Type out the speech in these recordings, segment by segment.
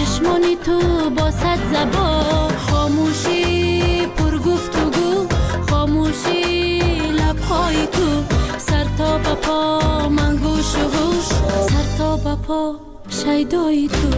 Чашмони ту бо сад забон, хомӯшӣ пургуфтугӯ, хомӯшӣ лабҳои ту. Сар то ба по ман гӯшу гӯш, сар то ба по шайдои ту.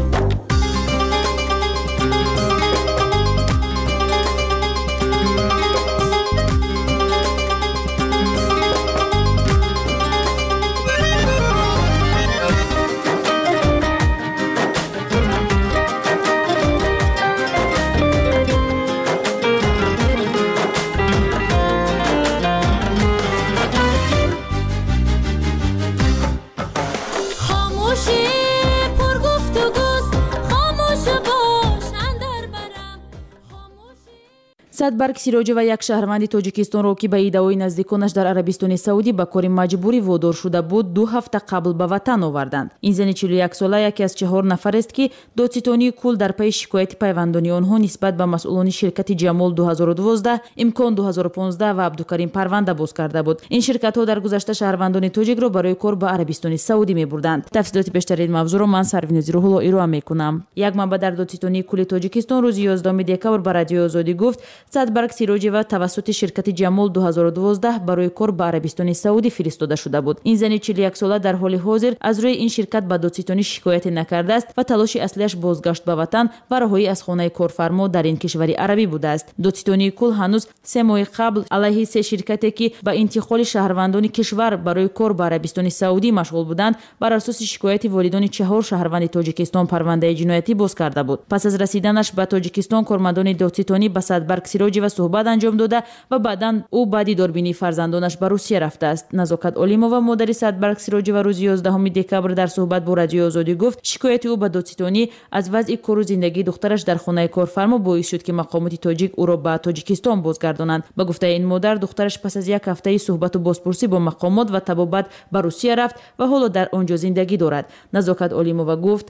Садбарг Сироҷева, як шаҳрванди Тоҷикистонро, ки ба иддаои наздиконаш дар Арабистони Саудӣ ба кори маҷбурӣ водор шуда буд, 2 ҳафта қабл ба ватан оварданд. Ин зани 41-сола яке аз 4 нафарест, ки додситонии кул дар пайи шикояти пайвандони онҳо нисбат ба масъулони ширкати Ҷамол 2012, Имкон 2015 ва Абдукарим парванда боз карда буд. Ин ширкатҳо дар гузашта шаҳрвандони тоҷикро барои кор ба Арабистони Саудӣ мебурданд. Тафсилоти бештари ин мавзӯъро ман Сарвинози Рӯҳулло ироа мекунам. Як манбаъ дар додситонии кулли Тоҷикистон рӯзи 11 декабр ба Радиои Озодӣ гуфт, Садбарг Сироҷева тавассути ширкати Ҷамол 2012 барои кор ба Арабистони Саудӣ фиристода шуда буд. Ин зани 41-сола дар ҳоли ҳозир аз рӯи ин ширкат ба додситонӣ шикояте накардааст ва талоши аслиаш бозгашт ба ватан ва раҳоӣ аз хонаи корфармо дар ин кишвари арабӣ будааст. Додситонии кул ҳанӯз 3 моҳи қабл алайҳи 3 ширкате, ки ба интиқоли шаҳрвандони кишвар барои кор ба Арабистони Саудӣ машғул буданд, бар асоси шикояти волидони 4 шаҳрванди Тоҷикистон парвандаи ҷиноятӣ боз карда буд. Пас аз расиданаш ба Тоҷикистон кормандони додситонӣ ба Садбарг Сироҷева суҳбат анҷом дода ва баъдан ӯ баъди дорбинии фарзандонаш ба Русия рафтааст. Назокат Олимова, модари Садбарг Сироҷева, рӯзи 11 декабр дар суҳбат бо Радиои Озодӣ гуфт, шикояти ӯ ба додситонӣ аз вазъи кору зиндагии духтараш дар хонаи корфармо боис шуд, ки мақомоти тоҷик ӯро ба Тоҷикистон бозгардонанд. Ба гуфтаи ин модар, духтараш пас аз як ҳафтаи суҳбату бозпурсӣ бо мақомот ва табобат ба Русия рафт ва ҳоло дар он ҷо зиндагӣ дорад. Назокат Олимова гуфт: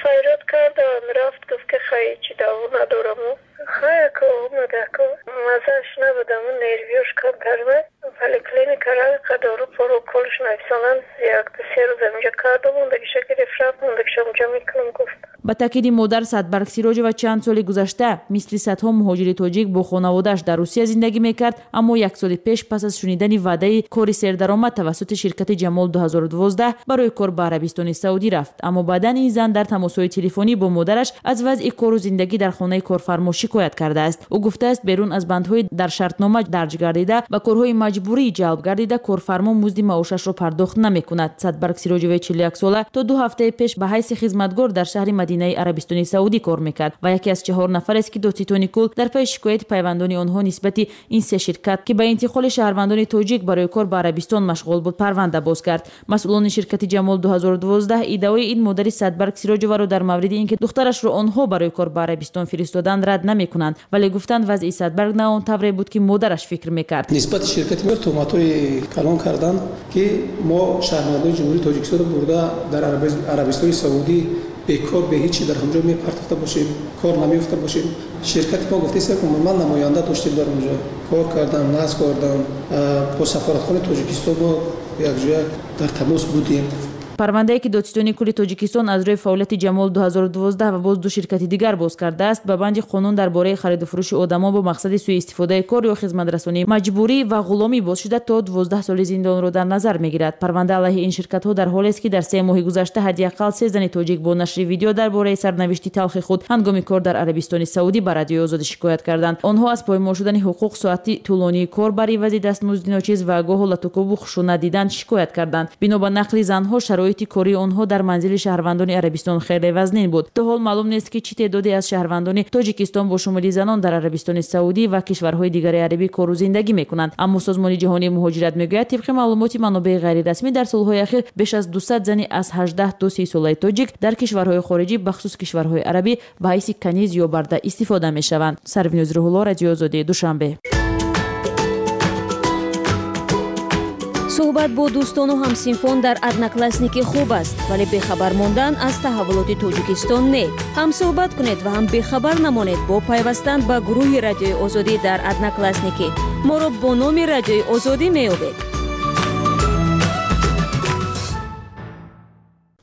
фарёд кардам, рафт, гуфт ки хай чӣ даво надорам. Хаяко омадако мазааш набудам, нервиёш камтар буд. Поликлиника рафт, дору пору колш нависонанд, 1-3 рӯз инҷа кардам, ондагиша гирифт рафт, ондагиша онҷа мекунам гуфт. Ба таъкиди модар, Садбарг Сироҷева чанд соли гузашта мисли садҳо муҳоҷири тоҷик бо хонаводааш дар Русия зиндагӣ мекард, аммо як соли пеш пас аз шунидани ваъдаи кори сердаромад тавассути ширкати Ҷамол 2012 барои кор ба Арабистони Саудӣ рафт. Аммо баъдан ин зан дар тамосҳои телефонӣ бо модараш аз вазъи кору зиндагӣ дар хонаи корфармо шикоят кардааст. Ӯ гуфтааст, берун аз бандҳои дар шартнома дарҷ гардида ва корҳои маҷбурӣ ҷалб гардида, корфармо музди маошашро пардохт намекунад. Садбарг Сироҷеваи 41-сола то 2 ҳафтаи пеш ба ҳайси хизматгор дар шаҳри Мадинаи Арабистони Саудӣ кор мекард ва яке аз 4 нафарест, ки додситони кул дар пайи шикояти пайвандони онҳо нисбати ин 3 ширкат, ки ба интиқоли шаҳрвандони тоҷик барои кор ба Арабистон машғул буд, парванда боз кард. Масъулони ширкати Ҷамол 2012 иддаои ин модари Садбарг Сироҷеваро дар мавриди ин ки духтарашро онҳо барои кор ба Арабистон фиристоданд рад намекунанд, вале гуфтанд вазъи Садбарг на он тавре буд, ки модараш фикр мекард. Нисбати ширкати мо туҳматҳои калон карданд, ки мо шаҳрвандони Ҷумҳурии Тоҷикистонро бурда дар Арабистони Саудӣ бекор, бе ҳеҷ чиз дар ҳамҷо мепартофта бошем, кор намеёфта бошем. Ширкати мо гуфтааст, ки умуман намоянда доштем дар онҷо, кор кардам, насб кардам, бо сафоратхонаи Тоҷикистон мо якҷоя дар тамос будем. Парвандае, ки додситонии кулли Тоҷикистон аз рӯи фаъолияти Ҷамол 2012 ва боз 2 ширкати дигар боз кардааст, ба банди қонун дар бораи хариду фурӯши одамон бо мақсади сӯиистифодаи кор ё хизматрасонии маҷбурӣ ва ғуломӣ боз шуда то 12 соли зиндонро дар назар мегирад. Парванда алайҳи ин ширкатҳо дар ҳолест, ки дар 3 моҳи гузашта ҳадди ақал 3 зани тоҷик бо нашри видео дар бораи сарнавишти талхи худ ҳангоми кор дар Арабистони Саудӣ ба Радиои Озодӣ шикоят карданд. Онҳо аз поймол шудани ҳуқуқ, соати тӯлонии кор бар ивази дастмузди ночиз ва гоҳу латукӯбу хушунат дидан шикоят карданд. Бино ба нақли занҳо, шароити кории онҳо дар манзили шаҳрвандони Арабистон хеле вазнин буд. То ҳол маълум нест, ки чӣ теъдоде аз шаҳрвандони Тоҷикистон бо шумули занон дар Арабистони Саудӣ ва кишварҳои дигари арабӣ кору зиндагӣ мекунанд. Аммо Созмони ҷаҳонии муҳоҷират мегӯяд, тибқи маълумоти манобеи ғайрирасмӣ дар солҳои ахир беш аз 200 зани аз 18 то 30 солаи тоҷик дар кишварҳои хориҷӣ, бахусус кишварҳои арабӣ, ба ҳайси каниз ё барда истифода мешаванд. Сарвиноз Рӯҳулло, Радиои Озодӣ, Душанбе. Суҳбат бо дӯстону ҳамсинфон дар Одноклассники хуб аст, вале бехабар мондан аз таҳаввулоти Тоҷикистон не. Ҳам суҳбат кунед ва ҳам бехабар намонед бо пайвастан ба гурӯҳи Радиои Озодӣ дар Одноклассники. Моро бо номи Радиои Озодӣ меёбед.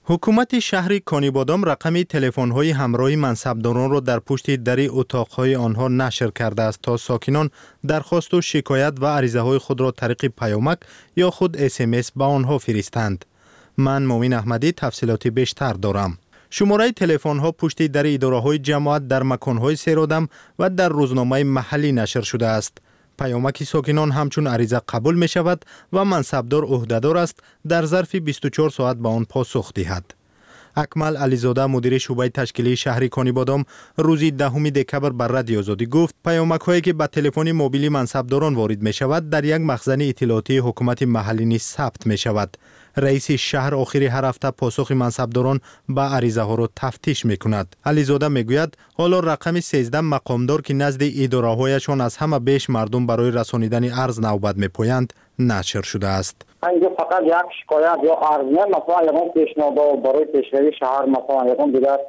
Ҳукумати шаҳри Конибодом рақами телефонҳои ҳамроҳи мансабдоронро дар пушти дари утоқҳои онҳо нашр кардааст, то сокинон дархосту шикоят ва аризаҳои худро тариқи паёмак ё худ СМС ба онҳо фиристанд. Ман Муъмин Аҳмадӣ тафсилоти бештар дорам. Шумораи телефонҳо пушти дари идораҳои ҷамоат, дар маконҳои серодам ва дар рӯзномаи маҳаллӣ нашр шудааст. Паёмаки сокинон ҳамчун ариза қабул мешавад ва мансабдор ӯҳдадор аст дар зарфи 24 соат ба он посух диҳад. Акмал Ализода, мудири шӯъбаи ташкилии шаҳри Конибодом, рӯзи 10 декабр ба Радиои Озодӣ гуфт, паёмакҳое ки ба телефони мобилии мансабдорон ворид мешавад, дар як махзани иттилоотии ҳукумати маҳаллӣ низ сабт мешавад. Раиси шаҳр охири ҳар ҳафта посухи мансабдорон ба аризаҳоро тафтиш мекунад. Ализода мегӯяд, ҳоло рақами 13 мақомдор, ки назди идораҳояшон аз ҳама беш мардум барои расонидани арз навбат мепоянд, нашр шудааст. Инҷо фақат як шикоят ё арз не, масалан, ягон пешниҳодҳо барои пешравии шаҳр, масалан, ягон дигар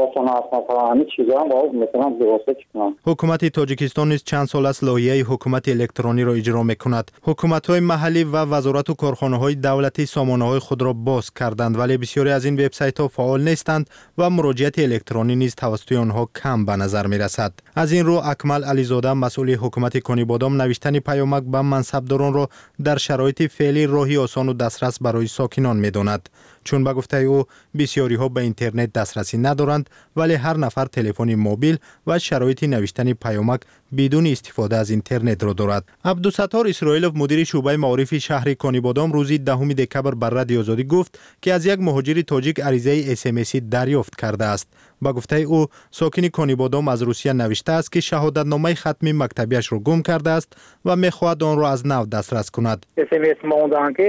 осон аст, масалан, ҳамин чизҳоам ба метавонанд бевосита чӣ кунанд. Ҳукумати Тоҷикистон низ чанд сол аст лоиҳаи ҳукумати электрониро иҷро мекунад. Ҳукуматҳои маҳаллӣ ва вазорату корхонаҳои давлатӣ сомонаҳои худро боз карданд, вале бисёре аз ин вебсайтҳо фаъол нестанд ва муроҷиати электронӣ низ тавассути онҳо кам ба назар мерасад. Аз ин рӯ Акмал Ализода, масъули ҳукумати Конибодом, навиштани паёмак ба мансабдоронро дар шароити феълӣ роҳи осону дастрас барои сокинон медонад. Чун ба гуфтаи ӯ, бисёриҳо ба интернет дастрасӣ надоранд, вале ҳар нафар телефони мобил ва шароити навиштани паёмак бидуни истифода аз интернетро дорад. Абдусаттор Исроилов, мудири шӯъбаи маорифи шаҳри Конибодом, рӯзи 10 декабр ба Радиои Озодӣ гуфт, ки аз як муҳоҷири тоҷик аризаи СМС дарёфт кардааст. Ба гуфтаи ӯ, сокини Конибодом аз Русия навиштааст, ки шаҳодатномаи хатми мактабиашро гум кардааст ва мехоҳад онро аз нав дастрас кунад. СМС мондаанд, ки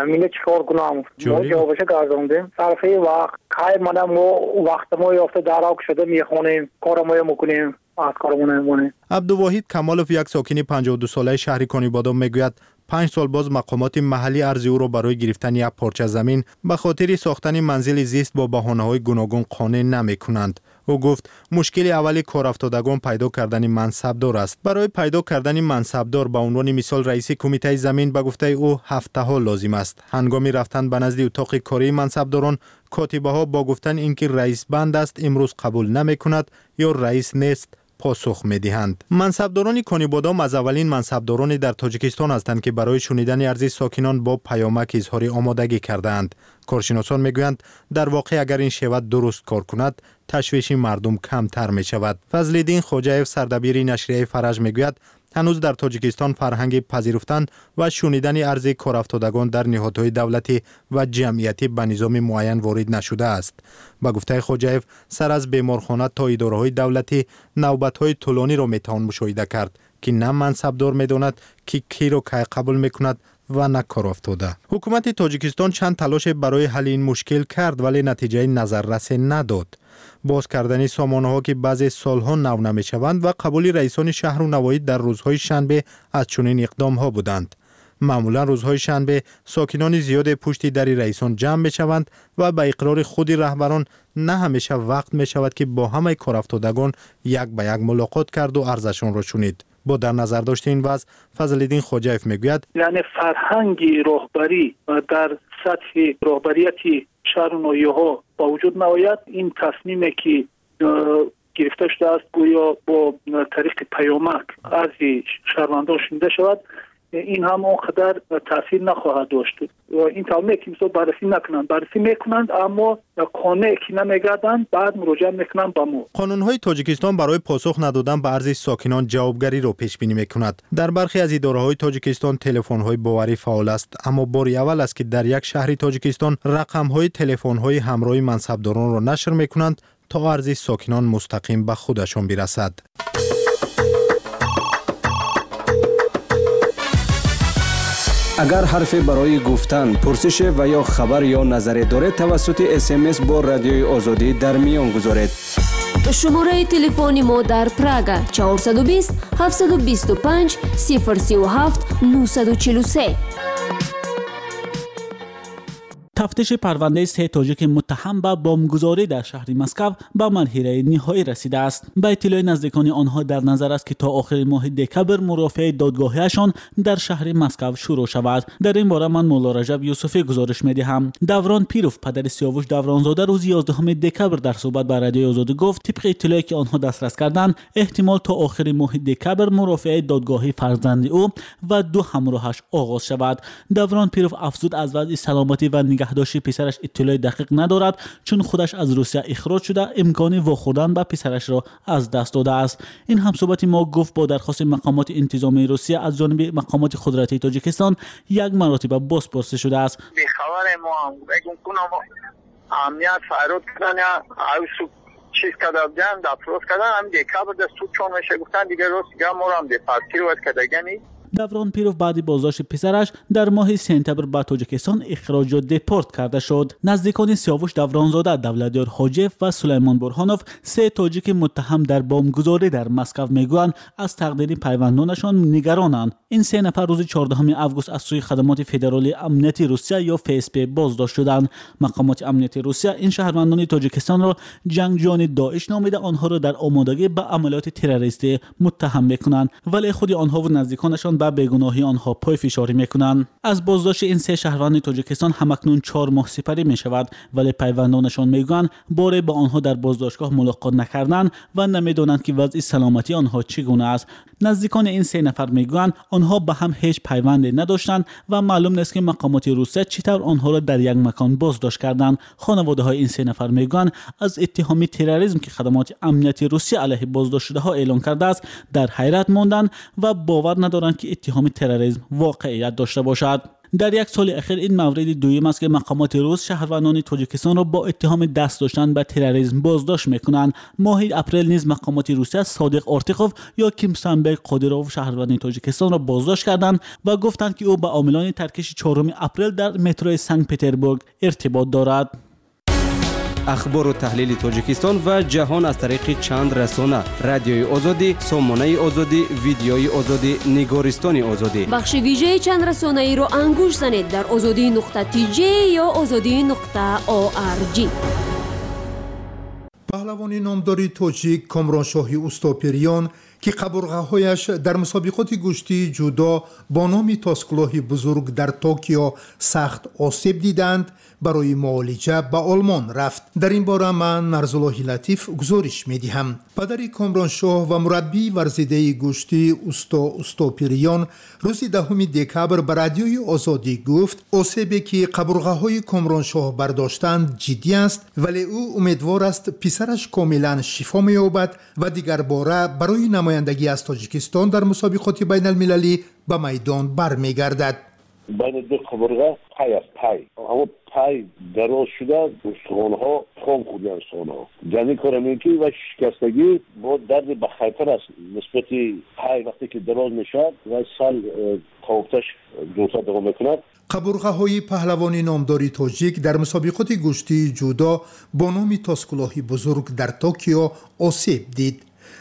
мине чӣ кор кунам? Мо ҷавобаша гардондем. Сарфи вақт кай мана мо вақтамо ёфта дарок шуда мехонем, корамоя мекунем, аз корамона мемонем. Абдувоҳид Камолов, як сокини 52-солаи шаҳри Конибодом, мегӯяд, 5 сол боз мақомоти маҳаллӣ арзи ӯро барои гирифтани як порча замин ба хотири сохтани манзили зист бо баҳонаҳои гуногун қонеъ намекунанд. Ӯ гуфт, мушкили аввали корафтодагон пайдо кардани мансабдор аст. Барои пайдо кардани мансабдор, ба унвони мисол раиси кумитаи замин, ба гуфтаи ӯ, ҳафтаҳо лозим аст. Ҳангоми рафтан ба назди утоқи кории мансабдорон, котибаҳо бо гуфтан ин ки раис банд аст, имрӯз қабул намекунад ё раис нест посух медиҳанд. Мансабдорони Конибодом аз аввалин мансабдороне дар Тоҷикистон ҳастанд, ки барои шунидани арзи сокинон бо паёмак изҳори омодагӣ кардаанд. Коршиносон мегӯянд, дар воқеъ агар ин шева дуруст кор кунад, ташвиши мардум камтар мешавад. Фазлиддин Хоҷаев, сардабири нашрияи Фараҷ, мегӯяд, ҳанӯз дар Тоҷикистон фарҳанги пазируфтан ва шунидани арзи корафтодагон дар ниҳодҳои давлатӣ ва ҷамъиятӣ ба низоми муайян ворид нашудааст. Ба гуфтаи Хоҷаев, сар аз беморхона то идораҳои давлатӣ навбатҳои тӯлониро метавон мушоҳида кард, ки на мансабдор медонад, ки киро кай қабул мекунад ва на корафтода. Ҳукумати Тоҷикистон чанд талоше барои ҳалли ин мушкил кард, вале натиҷаи назаррасе надод. Боз кардани сомонаҳо, ки баъзе солҳо нав намешаванд, ва қабули раисони шаҳру навоҳӣ дар рӯзҳои шанбе аз чунин иқдомҳо буданд. Маъмулан рӯзҳои шанбе сокинони зиёде пушти дари раисон ҷамъ мешаванд ва ба иқрори худи раҳбарон, на ҳамеша вақт мешавад, ки бо ҳамаи корафтодагон як ба як мулоқот карду арзашонро шунид. Бо дар назар дошти ин вазъ, Фазлиддин Хоҷаев мегӯяд: яъне фарҳанги роҳбарӣ дар сатҳи роҳбарияти шаҳру ноҳияҳо ба вуҷуд наояд, ин тасмиме ки гирифта шудааст, гӯё бо тариқи паёмак арзи шаҳрвандон шунида шавад, ин ҳам он қадар таъсир нахоҳад дошт. Ин тавр ки мисол баррасӣ накунанд, баррасӣ мекунанд, аммо қонеъ ки намегарданд, баъд муроҷиат мекунанд ба мо. Қонунҳои Тоҷикистон барои посух надодан ба арзи сокинон ҷавобгариро пешбинӣ мекунад. Дар бархе аз идораҳои Тоҷикистон телефонҳои боварӣ фаъол аст, аммо бори аввал аст, ки дар як шаҳри Тоҷикистон рақамҳои телефонҳои ҳамроҳи мансабдоронро нашр мекунанд, то арзи сокинон мустақим ба худашон бирасад. Агар ҳарфе барои гуфтан, пурсише ва ё хабар ё назаре доред, тавассути СМС бо Радиои Озодӣ дар миён гузоред. Шумораи телефони мо дар Прага 420 725 037 943. Тафтиши парвандаи се тоҷики муттаҳам ба бомбгузорӣ дар шаҳри Москва ба марҳилаи ниҳоӣ расидааст. Ба иттилои наздикони онҳо дар назар аст, ки то охири моҳи декабр мурофиаи додгоҳиашон дар шаҳри Москва шурӯъ шавад. Дар ин бора ман Мулло Раҷаб Юсуфӣ гузориш медиҳам. Даврон Пиров, падари Сиёвуш Давронзода, рӯзи 11 декабр дар суҳбат ба Радиои Озодӣ гуфт, тибқи иттилое ки онҳо дастрас карданд, эҳтимол то охири моҳи декабр мурофиаи додгоҳии фарзанди ӯ ва ду ҳамроҳаш оғоз шавад. Даврон Пиров афзуд, аз вазъи саломатӣ ва нигаҳдошти писараш иттилои дақиқ надорад, чун худаш аз Русия ихроҷ шуда, имкони вохӯрдан ба писарашро аз даст додааст. Ин ҳамсӯҳбати мо гуфт, бо дархости мақомоти интизомии Русия аз ҷониби мақомоти қудратии Тоҷикистон як маротиба бозпурсӣ шудааст. Амният файрод кардан, чиз карда буданд, допрос кардан, ҳам декабр дар суд чон меша гуфтан, дигар рост дигар моро ҳам депортировать кардагани. Даврон Пиров баъди боздошти писараш дар моҳи сентябр ба Тоҷикистон ихроҷу депорт карда шуд. Наздикони Сиёвуш Давронзода, Давлатёр Ҳоҷиев ва Сулаймон Бурҳонов, се тоҷики муттаҳам дар бомбгузорӣ дар Москва, мегӯянд, аз тақдири пайвандонашон нигаронанд. Ин се нафар рӯзи 14 август аз сӯи хадамоти федералии амнияти Русия ё ФСБ боздошт шуданд. Мақомоти амнияти Русия ин шаҳрвандони Тоҷикистонро ҷангҷӯёни Доиш номида, онҳоро дар омодагӣ ба амалиёти террористӣ муттаҳам мекунанд, вале худи онҳову наздиконашон ба бегуноҳии онҳо пойфишорӣ мекунанд. Аз боздошти ин се шаҳрванди Тоҷикистон ҳамакнун 4 моҳ сипарӣ мешавад, вале пайвандонашон мегӯянд, боре ба онҳо дар боздоштгоҳ мулоқот накарданд ва намедонанд, ки вазъи саломатии онҳо чӣ гуна аст. Наздикони ин се нафар мегӯянд, онҳо ба ҳам ҳеҷ пайванде надоштанд ва маълум нест, ки мақомоти Русия чӣ тавр онҳоро дар як макон боздошт карданд. Хонаводаҳои ин се нафар мегӯянд, аз иттиҳоми терроризм, ки хадамоти амнияти Русия алайҳи боздоштшудаҳо эълон кардааст, дар ҳайрат монданд ва бовар надоранд, ки иттиҳоми терроризм воқеият дошта бошад. Дар як соли ахир ин мавриди дуюм аст, ки мақомоти рус шаҳрвандони Тоҷикистонро бо иттиҳоми даст доштан ба терроризм боздошт мекунанд. Моҳи апрел низ мақомоти Русия Содиқ Ортиқов ё Кимсанбек Қодиров, шаҳрванди Тоҷикистонро боздошт карданд ва гуфтанд, ки ӯ ба омилони таркиши 4 апрел дар метрои Санкт-Петербург иртибот дорад. Ахбору таҳлили Тоҷикистон ва ҷаҳон аз тариқи чанд расона: Радиои Озодӣ, Сомонаи Озодӣ, Видеои Озодӣ, Нигористони Озодӣ. Бахши вижаи чанд расонаиро ангуш занед дар озодӣ нуқта тж ё озодӣ нуқта орг. Паҳлавони номдори тоҷик Комроншоҳи Устопириён, ки қабурғаҳояш дар мусобиқоти гӯштии ҷудо бо номи Тоскулоҳи бузург дар Токио сахт осеб диданд, барои муолиҷа ба Олмон рафт. Дар ин бора ман Нарзуллоҳи Латиф гузориш медиҳам. Падари Комроншоҳ ва мураббии варзидаи гӯштӣ Усто Устопириён рӯзи 10 декабр ба Радиои Озодӣ гуфт, осебе ки қабурғаҳои Комроншоҳ бардоштанд ҷиддӣ аст, вале ӯ умедвор аст, писараш комилан шифо меёбад ва дигарбора барои намояндагӣ аз Тоҷикистон дар мусобиқоти байналмилалӣ ба майдон бармегардад. Байни ду қабурға пай аст, пай. Аммо пай дароз шуда, устухонҳо хом хӯрданд, устухонҳо. Ҷанин кор ҳамин ки ва шикастагӣ бо дарди бахайтар аст нисбати пай, вақте ки дароз мешавад ва сал қобташ дуртар давом мекунад. Қабурғаҳои паҳлавони номдори тоҷик дар мусобиқоти гӯштии ҷудо бо номи Тоскулоҳи бузург дар Токио осеб дид.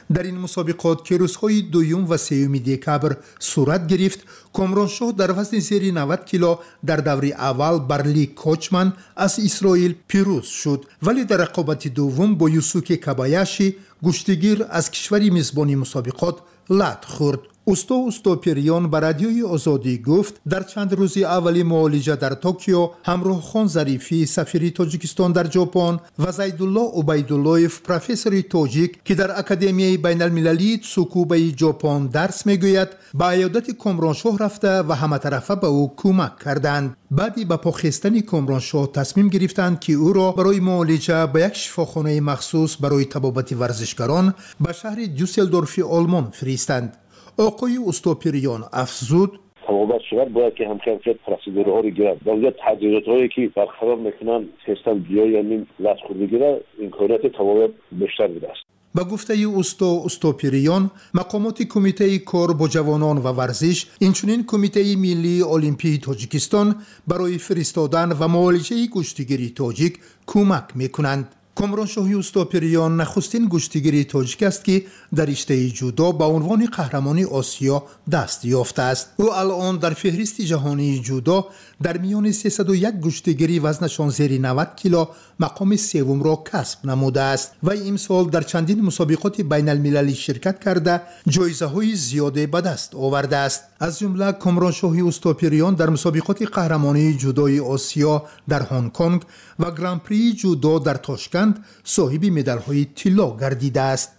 Дар ин мусобиқот, ки рӯзҳои 2 ва 3 декабр сурат гирифт, Комроншоҳ дар вазни зери 90 кило дар даври аввал бар Ли Кочман аз Исроил пирӯз шуд, вале дар рақобати дуввум бо Юсуке Кабаяши, гӯштигир аз кишвари мизбони мусобиқот, лат хӯрд. Усто Устопириён ба Радиои Озодӣ гуфт, дар чанд рӯзи аввали муолиҷа дар Токио Ҳамроҳхон Зарифӣ, сафири Тоҷикистон дар Ҷопон, ва Зайдулло Убайдуллоев, профессори тоҷик, ки дар Академияи байналмилалии Цукубаи Ҷопон дарс мегӯяд, ба аёдати Комроншоҳ рафта ва ҳаматарафа ба ӯ кӯмак карданд. Баъди ба по хестани Комроншоҳ тасмим гирифтанд, ки ӯро барои муолиҷа ба як шифохонаи махсус барои табобати варзишгарон ба шаҳри Дюсселдорфи Олмон фиристанд. Оқои Устопириён афзуд: табобат шавад, бояд ки ҳамхел процедураҳоро гирад. Дар онҷо таҷҳизотҳое ки барқарор мекунанд, хестан ҷои ҳамин латхӯрдагиро, имконияти табобат бештар будааст. Ба гуфтаи Усто Устопириён, мақомоти Кумитаи кор бо ҷавонон ва варзиш, инчунин Кумитаи миллии олимпии Тоҷикистон барои фиристодан ва муолиҷаи гӯштигири тоҷик кӯмак мекунанд. Комроншоҳи Устопириён нахустин гӯштигири тоҷик аст, ки дар риштаи ҷудо ба унвони қаҳрамони Осиё даст ёфтааст. Ӯ алъон дар феҳристи ҷаҳонии ҷудо дар миёни 301 гӯштигири вазнашон зери 90 кило мақоми севумро касб намудааст. Вай имсол дар чандин мусобиқоти байналмилалӣ ширкат карда, ҷоизаҳои зиёде ба даст овардааст. Аз ҷумла Комроншоҳи Устопириён дар мусобиқоти қаҳрамонии ҷудои Осиё дар Ҳонконг ва Гран-прии ҷудо дар Тошканд соҳиби медалҳои тилло гардидааст.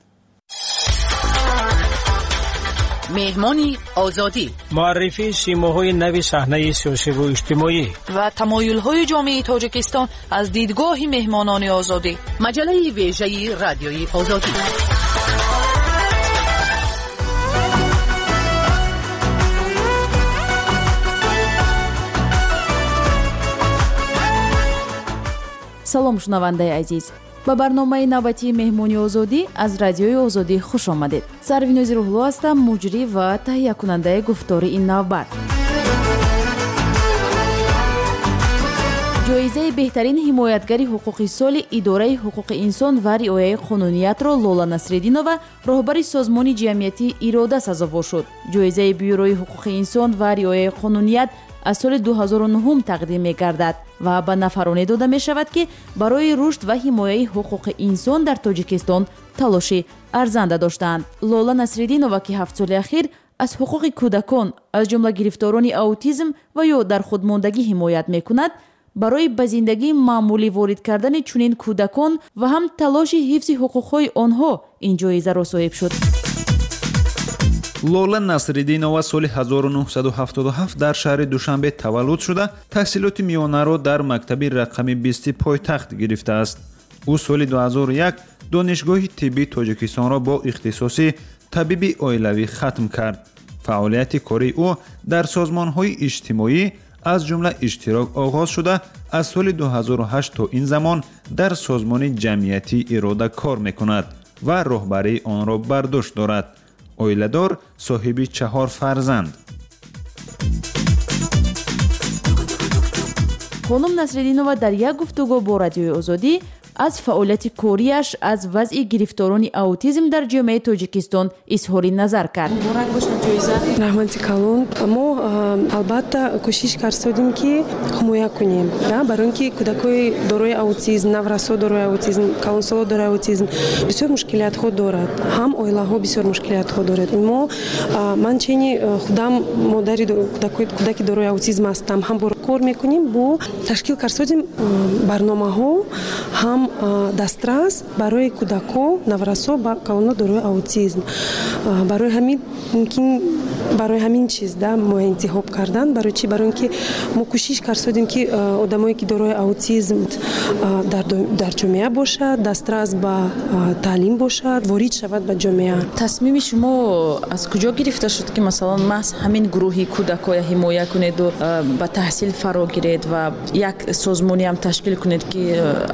Меҳмони Озодӣ. Муаррифии симоҳои нави саҳнаи сиёсиву иҷтимоӣ ва тамоюлҳои ҷомеаи Тоҷикистон аз дидгоҳи меҳмонони Озодӣ. Маҷаллаи вежаи Радиои Озодӣ. Салом, шунавандаи азиз, ба барномаи навбатии Меҳмони Озодӣ аз Радиои Озодӣ хуш омадед. Сарвинози Рӯҳло ҳастам, муҷрӣ ва таҳиякунандаи гуфтори ин навбат. Ҷоизаи беҳтарин ҳимоятгари ҳуқуқи соли Идораи ҳуқуқи инсон ва риояи қонуниятро Лола Насриддинова, роҳбари созмони ҷамъиятии Ирода, сазовор шуд. Ҷоизаи Бюрои ҳуқуқи инсон ва риояи қонуният аз соли 2009 тақдим мегардад ва ба нафароне дода мешавад, ки барои рушд ва ҳимояи ҳуқуқи инсон дар Тоҷикистон талоши арзанда доштаанд. Лола Насриддинова, ки 7 соли ахир аз ҳуқуқи кӯдакон, аз ҷумла гирифторони аутизм ва ё дар худмондагӣ ҳимоят мекунад, барои ба зиндагии маъмулӣ ворид кардани чунин кӯдакон ва ҳам талоши ҳифзи ҳуқуқҳои онҳо ин ҷоизаро соҳиб шуд. Лола Насриддинова соли 1977 дар шаҳри Душанбе таваллуд шуда, таҳсилоти миёнаро дар мактаби рақами 20 пойтахт гирифтааст. Ӯ соли 2001 Донишгоҳи тиббии Тоҷикистонро бо ихтисоси табиби оилавӣ хатм кард. Фаъолияти кории ӯ дар созмонҳои иҷтимоӣ, аз ҷумла Иштирок, оғоз шуда, аз соли 2008 то ин замон дар созмони ҷамъиятии Ирода кор мекунад ва роҳбарии онро бар дӯш дорад. Оиладор, соҳиби 4 фарзанд. Хонум Насриддинова дар як гуфтугӯ бо Радиои Озодӣ аз фаъолияти кориаш, аз вазъи гирифторони аутизм дар ҷомеаи Тоҷикистон изҳори назар кард. Муборак бошад ҷоиза. Раҳмати калон. Мо албатта кӯшиш кардем, ки ҳимоя кунем, барои ин ки кӯдакои дорои аутизм, наврасо дорои аутизм, калонсоло дорои аутизм бисёр мушкилиятҳо дорад, ҳам оилаҳо бисёр мушкилиятҳо дорад. Мо, ман чени худам модари кӯдаки дорои аутизм ҳастам, ҳам кор мекунем, бо ташкил кардем барномаҳо ҳам дастрас барои кӯдако, наврасо ва калоно дорои аутизм. Барои ҳамин мумкин, барои ҳамин чиз да мо интихоб кардан. Барои чӣ? Барои ин ки мо кӯшиш кардем, ки одамое ки дорои аутизм дар ҷомеа бошад, дастрас ба таълим бошад, ворид шавад ба ҷомеа. Тасмими шумо аз куҷо гирифта шуд, ки масалан маҳз ҳамин гурӯҳи кӯдакоя ҳимоя кунеду ба таҳсил фаро гиред ва як созмониам ташкил кунед, ки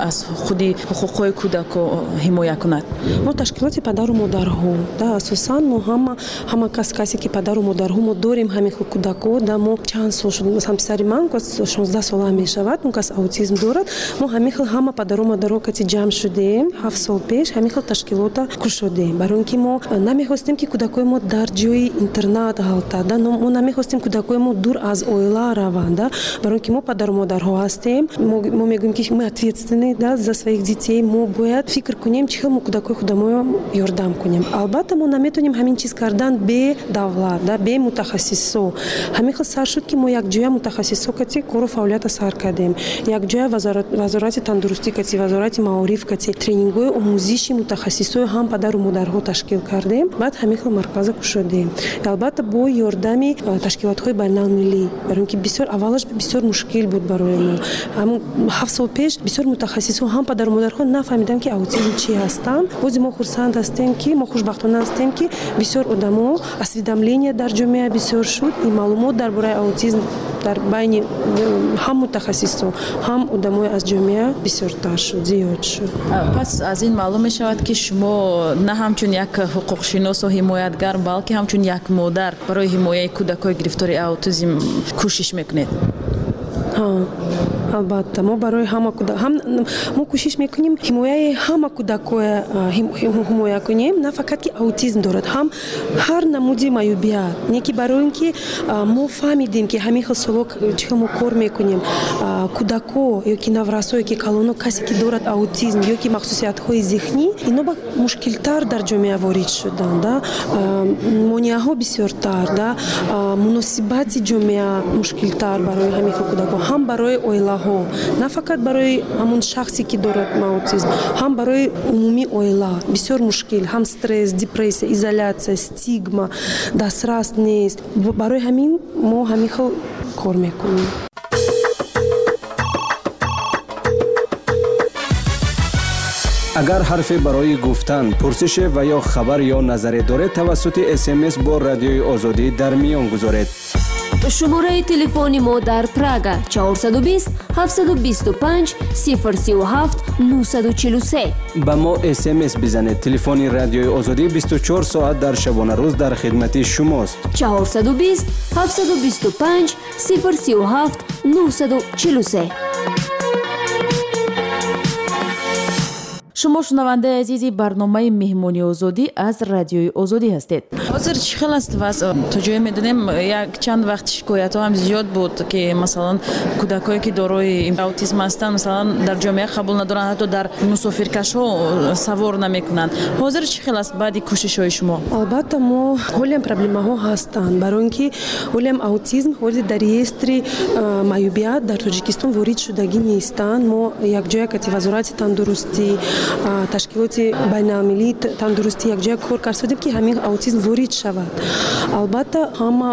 аз худи ҳуқуқҳои кӯдако ҳимоя кунад? Мо ташкилоти падару модарҳо да, асосан мо ҳама кас, касе ки падару модарҳо мо дорем ҳамин хел кӯдако да. Мо чанд сол шуд, масалан писари ман 16 сола мешавад, он кас аутизм дорад. Мо ҳамин хел ҳама падару модарҳо кати ҷамъ шудем, 7 сол пеш ҳамин хел ташкилота кушодем, барои ин ки мо намехостем, ки кӯдакои мо дар ҷои интернат ғалтад, мо намехостем кӯдакои мо дур аз оила раванд, барои ин ки мо падару модарҳо ҳастем. Мо мегӯем, ки мы ответственны, да, за своих детей. Мо бояд фикр кунем, чӣ хел мо кӯдакои худаморо ёрдам кунем. Албатта, мо наметавонем ҳамин чиз кардан бе давлат да, бе мутахассисо. Ҳамин хел сар шуд, ки мо якҷоя мутахассисо кати кору фаъолията сар кардем, якҷоя Вазорати тандурустӣ кати, Вазорати маориф кати тренингҳои омӯзиши мутахассисои ҳам падару модарҳо ташкил кардем. Баъд ҳамин хел марказа кушодем, албатта бо ёрдами ташкилотҳои байналмилалӣ, барои ин ки бисёр аввалаш бисёр мушкил буд барои мо. Ҳамун 7 сол пеш бисёр мутахассисҳо ҳам падару модарҳо нафаҳмиданд, ки аутизм чӣ ҳастанд. Бози мо хурсанд ҳастем, ки мо хушбахтона ҳастем, ки бисёр одамо осведомление дар ҷомеа бисёр шуд, ин маълумот дар бораи аутизм дар байни ҳам мутахассисҳо, ҳам одамои аз ҷомеа бисёртар шуд, зиёд шуд. Пас аз ин маълум мешавад, ки шумо на ҳамчун як ҳуқуқшиносу ҳимоятгар, балки ҳамчун як модар барои ҳимояи кӯдакҳои гирифтори аутизм кӯшиш мекунед. Албатта, мо барои ҳама кӯдак ҳам мо кӯшиш мекунем ҳимояи ҳама кӯдакоя ҳимоя кунем, на фақат ки аутизм дорад, ҳам ҳар намуди маъюбият. Не ки барои ин ки мо фаҳмидем, ки ҳамин хел солҳо чӣ хел мо кор мекунем, кӯдако ё ки наврасо ё ки калоно, касе ки дорад аутизм ё ки махсусиятҳои зеҳнӣ, ино ба мушкилтар дар ҷомеа ворид шудан, да, монеаҳо бисёртар, да, муносибати ҷомеа мушкилтар барои ҳамин хел кӯдакҳо, ҳам барои оилаҳо, на фақат барои ҳамон шахсе ки дорад аутизм, ҳам барои умумии оила бисёр мушкил, ҳам стресс, депрессия, изоляция, стигма, дастрас нест. Барои ҳамин мо ҳамин хел кор мекунем. Агар ҳарфе барои гуфтан, пурсише ва ё хабар ё назаре доред, тавассути СМС бо Радиои Озодӣ дар миён гузоред. Шумораи телефони мо дар Прага 420 725 037 943. Ба мо СМС бизанед. Телефони Радиои Озодӣ 24 соат дар шабонарӯз дар хидмати шумост. 420 725 037 943. Шумо шунавандаи азизи барномаи Меҳмони Озодӣ аз Радиои Озодӣ ҳастед. Ҳозир чӣ хел аст вазъ? То ҷое медонем, як чанд вақт шикоятҳо ҳам зиёд буд, ки масалан кӯдакое ки дорои аутизм ҳастанд, масалан дар ҷомеа қабул надоранд, ҳатто дар мусофиркашҳо савор намекунанд. Ҳозир чӣ хел аст баъди кӯшишҳои шумо? Албатта, мо ҳолиам проблемаҳо ҳастанд, барои ин ки ҳолиам аутизм ҳоли дар реестри маъюбият дар Тоҷикистон ворид шудагӣ нестанд. Мо якҷоя кати Вазорати тандурустӣ, ташкилоти байналмилалии тандурустӣ якҷоя кор кардем, ки ҳамин аутизм ворид шавад. Албатта, ҳама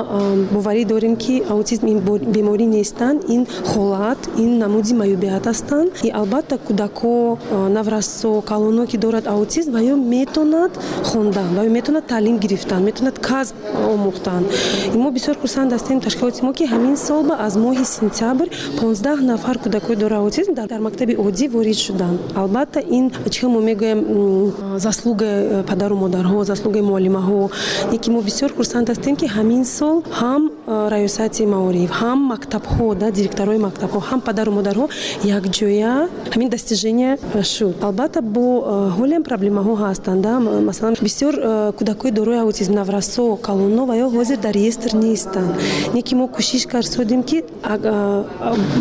боварӣ дорем, ки аутизм ин беморӣ нестанд, ин ҳолат, ин намуди маъюбият ҳастанд. И албатта, кӯдако, наврасо, калоно ки дорад аутизм, ва ё метавонад хондан, ва ё метавонад таълим гирифтан, метавонад касб омӯхтан. И мо бисёр хурсанд ҳастем, ташкилоти мо, ки ҳамин сол аз моҳи сентябр 15 нафар кӯдакои дорои аутизм дар мактаби оддӣ ворид шуданд. Албатта, ин чӣ мо мегӯем, заслугаи падару модарҳо, заслугаи муаллимаҳо, ки мо бисёр хурсанд ҳастем, ки ҳамин сол ҳам раёсати маориф, ҳам мактабҳо, да, директорои мактабҳо, ҳам падару модарҳо якҷоя ҳамин достижение шуд. Албатта, бо ҳолиам проблемаҳо ҳастанд, да, масалан бисёр кӯдакои дорои аутизм, наврасо, калоно ва ё ҳозир дар реестр нестанд. Не ки мо кӯшиш кардем, ки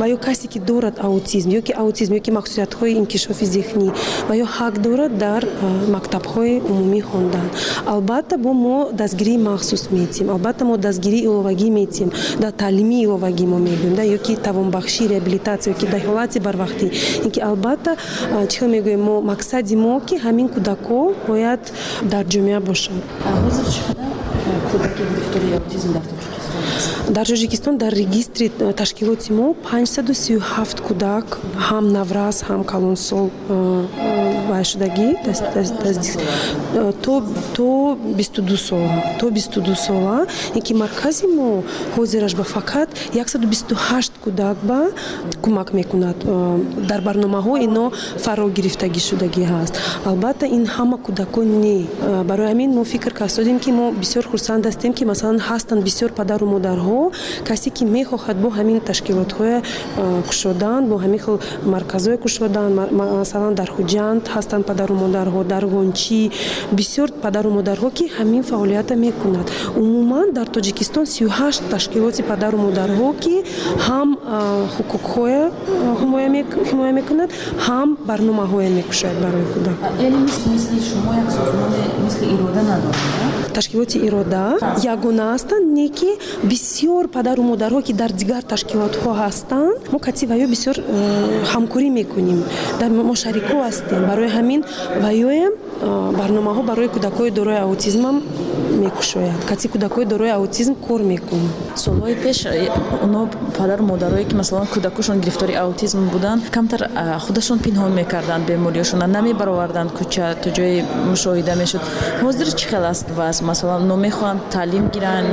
ва ё касе ки дорад аутизм ё ки аутизм ё ки махсусиятҳои инкишофи зеҳнӣ, ва ё ҳақ дорад дар мактабҳои умумӣ хондан. Албатта, бо мо дастгирии махсус метиҳем, албатта, мо дастгирии иловагӣ метиҳем, дар таълимии иловагӣ мо мегӯем, да, ё ки тавонбахшӣ, реабилитатсия, ё ки дар ҳолати барвақтӣ. Ин ки албатта, чӣ хел мегӯем, мо мақсади мо, ки ҳамин кӯдако бояд дар ҷомеа бошанд. Ҳозир чӣ қадар кӯдаки гирифтори аутизм дар Тоҷикистон аст? Дар Тоҷикистон дар регистри ташкилоти мо 537 кӯдак, ҳам наврас, ҳам калонсол вай шудагӣ, то 22 сола, то 22 сола. Ин ки маркази мо ҳозираш ба фақат 128 кӯдак ба кӯмак мекунад. Дар барномаҳо ино фаро гирифтагӣ шудагӣ ҳаст. Албатта, ин ҳама кӯдакон не. Барои ҳамин мо фикр кардем, ки мо бисёр хурсанд ҳастем, ки масалан ҳастанд бисёр падару модарҳо, касе ки мехоҳад бо ҳамин ташкилотҳое кушодан, бо ҳамин хел марказҳое кушодан. Масалан, дар Хуҷанд ҳастанд падару модарҳо, дар Ғончӣ бисёр падару модарҳо, ки ҳамин фаъолията мекунад. Умуман дар Тоҷикистон 38 ташкилоти падару модарҳо, ки ҳам ҳуқуқҳое ҳимоя мекунад, ҳам барномаҳое мекушояд барои кӯдак. Яъне мисли шумо як созмоне мисли Ирода надорад? Ташкилоти Ирода ягона ҳастанд, не ки бисёр падару модарҳо, ки дар дигар ташкилотҳо ҳастанд, мо кати ва ё бисёр ҳамкорӣ мекунем, дар мо шарико ҳастем. Барои ҳамин ва ёем барномаҳо барои кӯдакҳои дорои аутизмам мекушояд, кати кӯдакҳои дорои аутизм кор мекунад. Солҳои пеш оно падару модарое ки масалан кӯдакошон гирифтори аутизм буданд, камтар худашон пинҳон мекарданд бемориёшонро, намебароварданд кӯча, то ҷое мушоҳида мешуд. Ҳозир чӣ хел аст вазъ? Масалан, оно мехоҳанд таълим гиранд,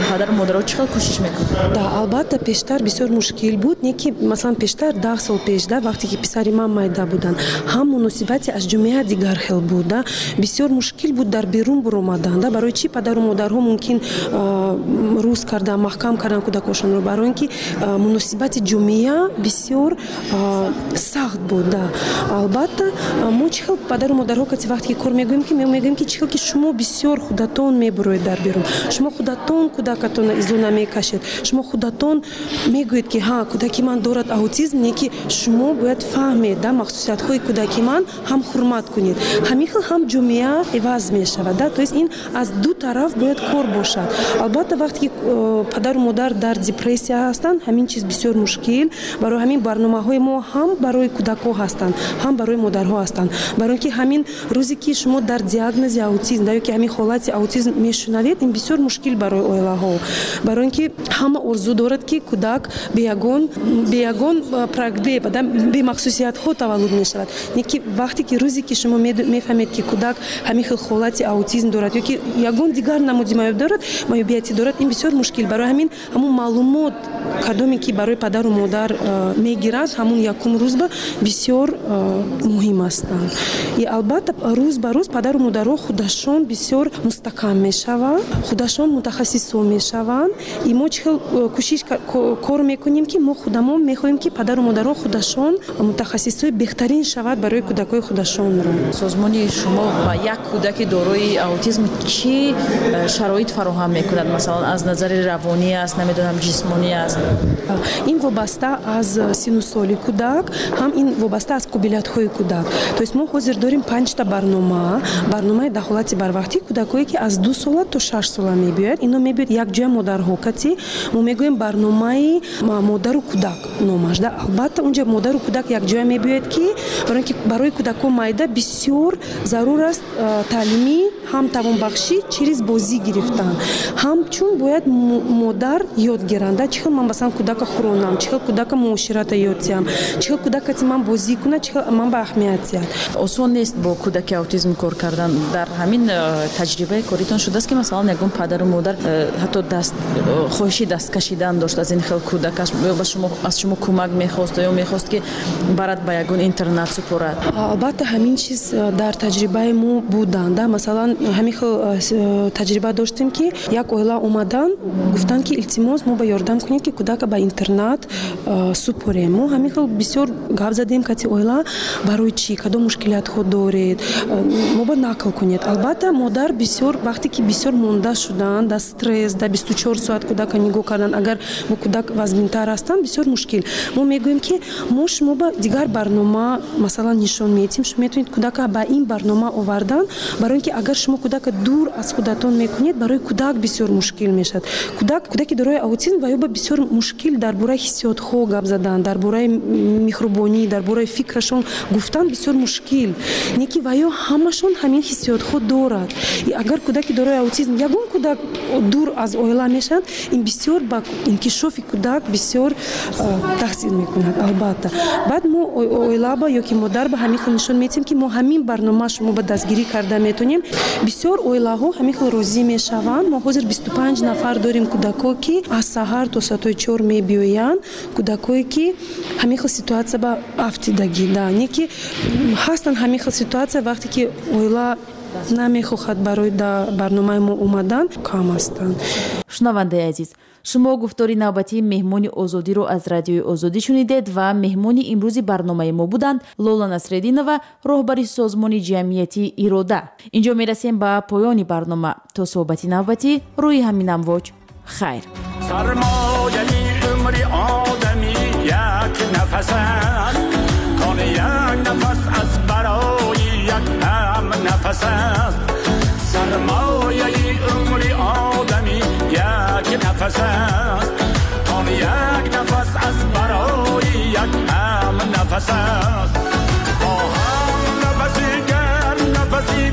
падару модаро чӣ хел кӯшиш мекунанд? Да, албатта, пештар бисёр мушкил буд, не ки масалан пештар 10 сол пеш, да, вақте ки писари ман майда буданд, ҳам муносибати аз ҷомеа дигар хел буд, да, бисёр мушкил буд дар берун буромадан, да. Барои чӣ? падару модарҳо мумкин рӯз кардан, маҳкам кардан кӯдакошонро, барои ин ки муносибати ҷомеа бисёр сахт буд. Да, албатта, мо чӣ хел падару модарҳо кати вақте ки кор мегӯем, ки мегӯем, ки чӣ хел ки шумо бисёр худатон мебуроед дар берун, шумо худатон кӯдакатонро изо намекашед, шумо худатон мегӯед, ки ҳа, кӯдаки ман дорад аутизм, не ки шумо бояд фаҳмед, да, махсусиятҳои кӯдаки ман, ҳам ҳурмат кунед. Ҳамин хел ҳам ҷомеа иваз мешавад. Да, то есть ин аз ду тараф бояд кор бошад. Албатта, вақте ки падару модар дар депрессия ҳастанд, ҳамин чиз бисёр мушкил. Барои ҳамин барномаҳои мо ҳам барои кӯдакҳо ҳастанд, ҳам барои модарҳо ҳастанд, барои ки ҳамин рӯзе ки шумо дар диагнози аутизм ё ки ҳамин ҳолати аутизм мешунавед, ин бисёр мушкил барои оилаҳо, барои ин ки ҳама орзу дорад, ки кӯдак бе ягон бемахсусиятҳо таваллуд мешавад. Не ки вақте ки рӯзе ки шумо мефаҳмед, ки кӯдак ҳамин хел ҳолати аутизм дорад ё ки ягон дигар намуди маёб дорад, маёбияти дорад, ин бисёр мушкил. Барои ҳамин ҳамун маълумот, кадоме ки барои падару модар мегирад, ҳамун якум рӯзба бисёр муҳим ҳастанд. И албатта, рӯз ба рӯз падару модарҳо худашон бисёр мустаҳкам мешаванд, худашон мутахассисо мешаванд. И мо чӣ хел кӯшиш кор мекунем, ки мо худамон мехоҳем, ки падару модарҳо худашон мутахассисои беҳтарин шавад барои кӯдакҳои худашонро. Созмони шумо ба як кӯдаки дорои аутизм чӣ шароит фароҳам мекунад? Масалан, аз назари равонӣ аст, намедонам, ҷисмонӣ аст? Ин вобаста аз сину соли кӯдак, ҳам ин вобаста аз қобилиятҳои кӯдак. То есть мо ҳозир дорем панҷта барнома. Барномаи дахолати барвақтӣ, кӯдакое ки аз 2 сола то 6 сола мебиёяд, ино мебиёд якҷоя модарҳо кати. Мо мегӯем, барномаи модару кӯдак номаш. Да, албатта, унҷа модару кӯдак якҷоя мебиёяд, ки барои ки барои кӯдакҳо майда бисёр зарур аст таълимӣ, ҳам тавонбахшӣ через бозӣ гирифтан, ҳамчун бояд модар ёд гиранда, чӣ хел ман, масалан, кӯдака хӯронам, чӣ хел кӯдака муоширата ёд диҳам, чӣ хел кӯдак кати ман бозӣ кунад, чӣ хел ман ба аҳамият диҳад. Осон нест бо кӯдаки аутизм кор кардан. Дар ҳамин таҷрибаи коритон шудааст, ки масалан, ягон падару модар ҳатто даст хоҳиши даст кашидан дошт аз ин хел кӯдакаш, ба шумо, аз шумо кӯмак мехост ё мехост, ки барад, ба ягон интернат супорад? Албатта, ҳамин чиз дар таҷрибаи мо буданд. Масалан, ҳамин хел таҷриба доштем, ки як оила омадан, гуфтанд, ки илтимос, мо ба ёрдам кунед, ки кӯдака ба интернат супорем. Мо ҳамин хел бисёр гап задем кати оила, барои чӣ, кадом мушкилиятҳо доред, мо ба нақл кунед. Албатта, модар бисёр, вақте ки бисёр монда шуданд дар стресс, дар 24 соат кӯдака нигоҳ кардан, агар бо кӯдак вазминтар ҳастанд, бисёр мушкил. Мо мегӯем, ки мо шумо ба дигар барнома, масалан, нишон медиҳем, шумо метавонед кӯдака ба ин барнома овардан, барои ин ки агар шумо кӯдака дур аз худатон мекунед, барои кӯдак бисёр мушкил мешавад. Кӯдаки дорои аутизм ва ё ба бисёр мушкил дар бораи ҳиссиётҳо гап задан, дар бораи меҳрубонӣ, дар бораи фикрашон гуфтан бисёр мушкил. Не ки ва ё ҳамашон ҳамин ҳиссиётҳо дорад. И агар кӯдаки дорои аутизм, ягон кӯдак дур аз оила мешавад, ин бисёр ба инкишофи кӯдак бисёр таъсир мекунад. Албатта, баъд мо оилаба ё ки модар ба ҳамин хел нишон медиҳем, ки мо ҳамин барнома шумо ба дастгирӣ карда метавонем. Бисёр оилаҳо ҳамин хел розӣ мешаванд. Мо ҳозир 25 нафар дорем кӯдакҳо, ки аз саҳар то соатҳои 4 мебиёянд, кӯдакҳое ки ҳамин хел ситуация ба афтидагӣ. Да, не ки ҳастанд ҳамин хел ситуация, вақте ки оила намехоҳад барои барномаи мо омадан, кам ҳастанд. Шунавандаи азиз, шумо гуфтори навбатии меҳмони Озодиро аз Радиои Озодӣ шунидед ва меҳмони имрӯзи барномаи мо буданд Лола Насреддинова, роҳбари созмони ҷамъиятии Ирода. Инҷо мерасем ба поёни барнома. То суҳбати навбатӣ рӯи ҳамин амвоҷ, хайр. Сармояи умри одамӣ як нафас аст, он як нафас аз барои як ҳам нафас аст. Сармояи умри одамӣ як нафас аст, он як нафас аз барои як ҳам нафас аст. Бо ҳам нафаси гарм, нафаси.